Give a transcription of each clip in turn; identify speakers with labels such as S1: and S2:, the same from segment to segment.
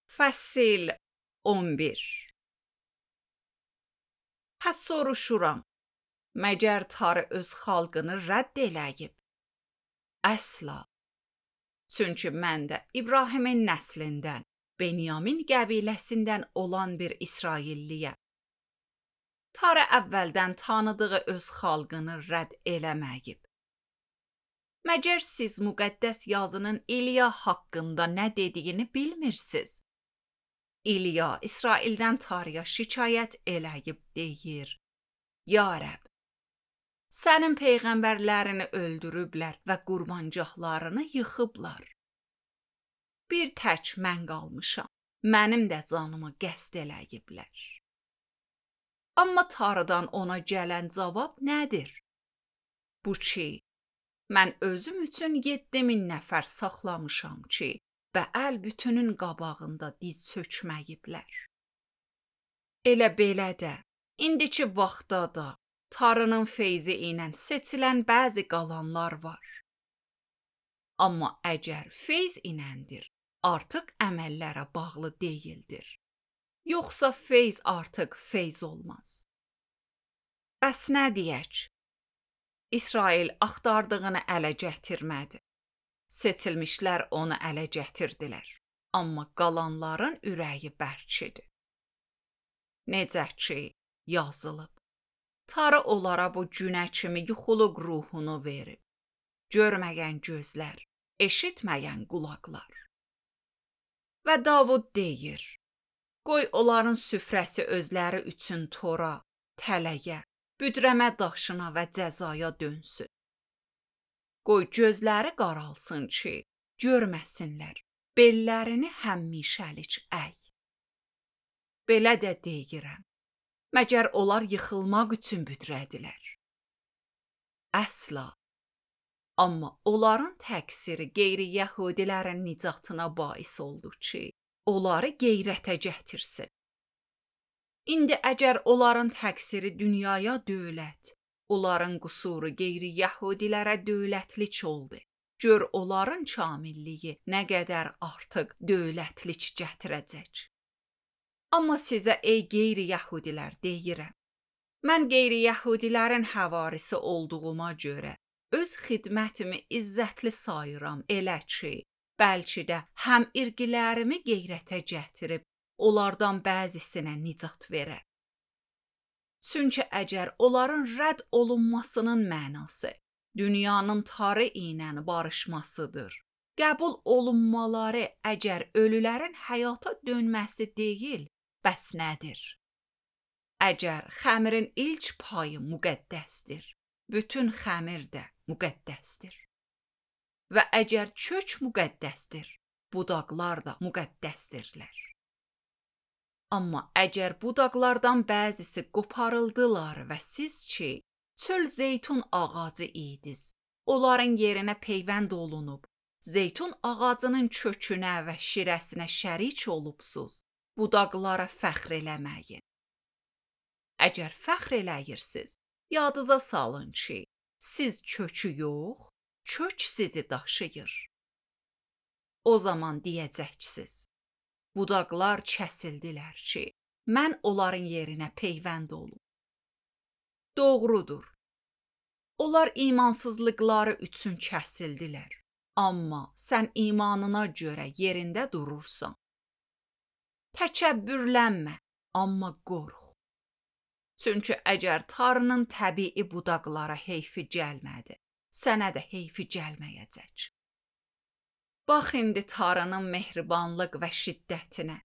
S1: Fəsil 11. Pəs soruşuram, məgər tarı öz xalqını rədd eləyib? Əsla. Çünki mən də İbrahimin nəslindən, Benyamin qəbiləsindən olan bir İsrailliyəm. Tarı əvvəldən tanıdığı öz xalqını rədd eləməyib. Məgər siz müqəddəs yazının İliya haqqında nə dediyini bilmirsiniz? İliya İsraildən tarıya şikayət eləyib deyir: Ya Rəbb, sənin peyğəmbərlərini öldürüblər və qurbancaqlarını yıxıblar. Bir tək mən qalmışam, mənim də canımı qəsd eləyiblər. Amma tarıdan ona gələn cavab nədir? Bu ki, mən özüm üçün 7000 nəfər saxlamışam ki, Bəəl bütünün qabağında diz çökməyiblər. Elə belə də, indiki vaxtda da tarının feyzi ilə seçilən bəzi qalanlar var. Amma əgər feyz iləndir, artıq əməllərə bağlı deyildir. Yoxsa feyz artıq feyz olmaz. Bəs nə deyək? İsrail axtardığını ələ gətirmədi. Seçilmişlər onu ələ gətirdilər. Amma qalanların ürəyi bərkidir. Necə ki, yazılıb. Tarı onlara bu günə kimi yuxuluq ruhunu verib. Görməyən gözlər, eşitməyən qulaqlar. Və Davud deyir: Qoy onların süfrəsi özləri üçün tora, tələyə, büdrəmə daşına və cəzaya dönsün. Qoy gözləri qaralsın ki, görməsinlər, bellərini həmişəlik əy. Belə də deyirəm, məgər onlar yıxılmaq üçün büdrədilər? Əsla. Amma onların təqsiri qeyri-yəhudilərin nicatına bais oldu ki, onları qeyrətə gətirsin. İndi əgər onların təqsiri dünyaya dövlət, onların qüsuru qeyri-yəhudilərə dövlətlik oldu. Gör onların kamilliyi nə qədər artıq dövlətlik gətirəcək. Amma sizə ey qeyri-yəhudilər deyirəm, mən qeyri-yəhudilərin həvarisi olduğuma görə öz xidmətimi izzətli sayıram elə ki, bəlkə də həm irqilərimi qeyrətə gətirib, onlardan bəzisinə nicat verə. Çünki əgər onların rədd olunmasının mənası dünyanın tarı ilə barışmasıdır, qəbul olunmaları əgər ölülərin həyata dönməsi deyil, bəs nədir? Əgər xəmirin ilk payı müqəddəsdir, bütün xəmir də müqəddəsdir. Və əgər kök müqəddəsdir, budaqlar da müqəddəsdirlər. Amma əgər budaqlardan bəzisi qoparıldılar və siz ki, çöl zeytun ağacı idiniz, onların yerinə peyvənd olunub, zeytun ağacının kökünə və şirəsinə şərik olubsuz, budaqlara fəxr eləməyin. Əgər fəxr eləyirsiniz, yadınıza salın ki, siz kökü yox, kök sizi daşıyır. O zaman deyəcəksiniz: Budaqlar kəsildilər ki, mən onların yerinə peyvənd olum. Doğrudur. Onlar imansızlıqları üçün kəsildilər. Amma sən imanına görə yerində durursan. Təkəbbürlənmə, amma qorx. Çünki əgər tarının təbii budaqlara heyfi gəlmədi, sənə də heyfi gəlməyəcək. Bax indi tarının mehribanlıq və şiddətinə,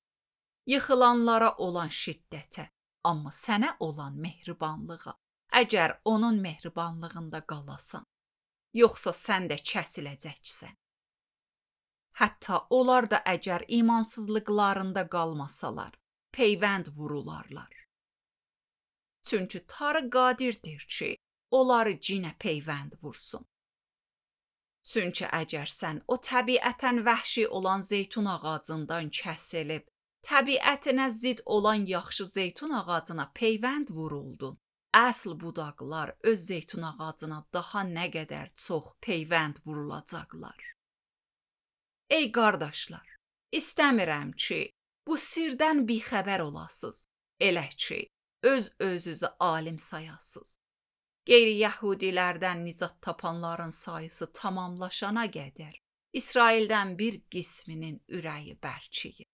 S1: yıxılanlara olan şiddətə, amma sənə olan mehribanlığa, əgər onun mehribanlığında qalasan, yoxsa sən də kəsiləcəksən. Hətta onlar da əgər imansızlıqlarında qalmasalar, peyvənd vurularlar. Çünki tarı qadirdir ki, onları cinə peyvənd vursun. Çünki əgər sən o təbiətən vəhşi olan zeytun ağacından kəsilib, təbiətinə zid olan yaxşı zeytun ağacına peyvənd vuruldun, əsl budaqlar öz zeytun ağacına daha nə qədər çox peyvənd vurulacaqlar. Ey qardaşlar, istəmirəm ki, bu sirdən bixəbər olasız, elə ki, öz-özünüzü alim sayasız. Qeyri-yəhudilərdən nicat tapanların sayısı tamamlaşana qədər İsraildən bir qisminin ürəyi bərçiyir.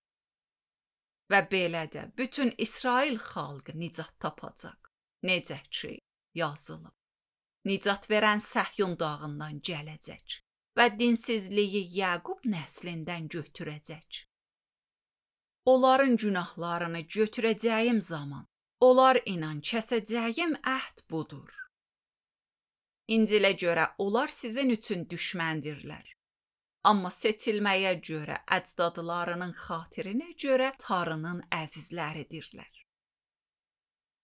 S1: Və belə də bütün İsrail xalqı nicat tapacaq. Necə ki, yazılıb. Nicat verən Səhyun dağından gələcək və dinsizliyi Yaqub nəslindən götürəcək. Onların günahlarını götürəcəyim zaman, onlar inan kəsəcəyim əhd budur. İncilə görə onlar sizin üçün düşməndirlər. Amma seçilməyə görə, əcdadlarının xatirinə görə Tanrının əzizləridirlər.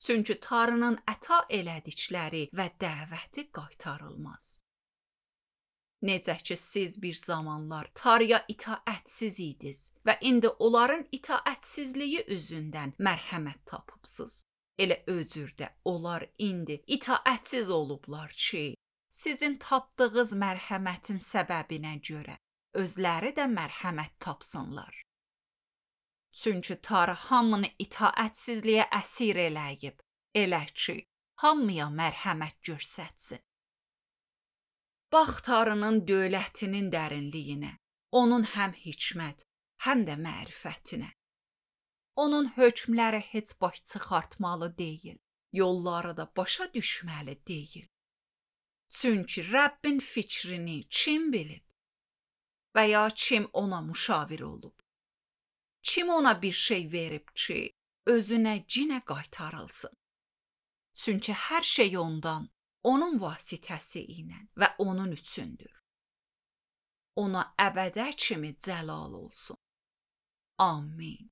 S1: Çünki Tanrının əta elədikləri və dəvəti qaytarılmaz. Necə ki, siz bir zamanlar Tanrıya itaətsiz idiniz və indi onların itaətsizliyi üzündən mərhəmət tapıbsınız. Elə özürdə onlar indi itaətsiz olublar ki, sizin tapdığınız mərhəmətin səbəbinə görə özləri də mərhəmət tapsınlar. Çünki Tanrı hamını itaətsizliyə əsir eləyib, elə ki, hamıya mərhəmət göstərsin. Bax Tanrının dövlətinin dərinliyinə, onun həm hikmət, həm də mərifətinə. Onun hökmləri heç baş çıxartmalı deyil, yolları da başa düşməli deyil. Çünki Rəbbin fikrini kim bilib? Və ya kim ona müşavir olub? Kim ona bir şey verib ki, özünə cinə qaytarılsın? Çünki hər şey ondan, onun vasitəsi ilə və onun üçündür. Ona əbədə kimi cəlal olsun. Amin.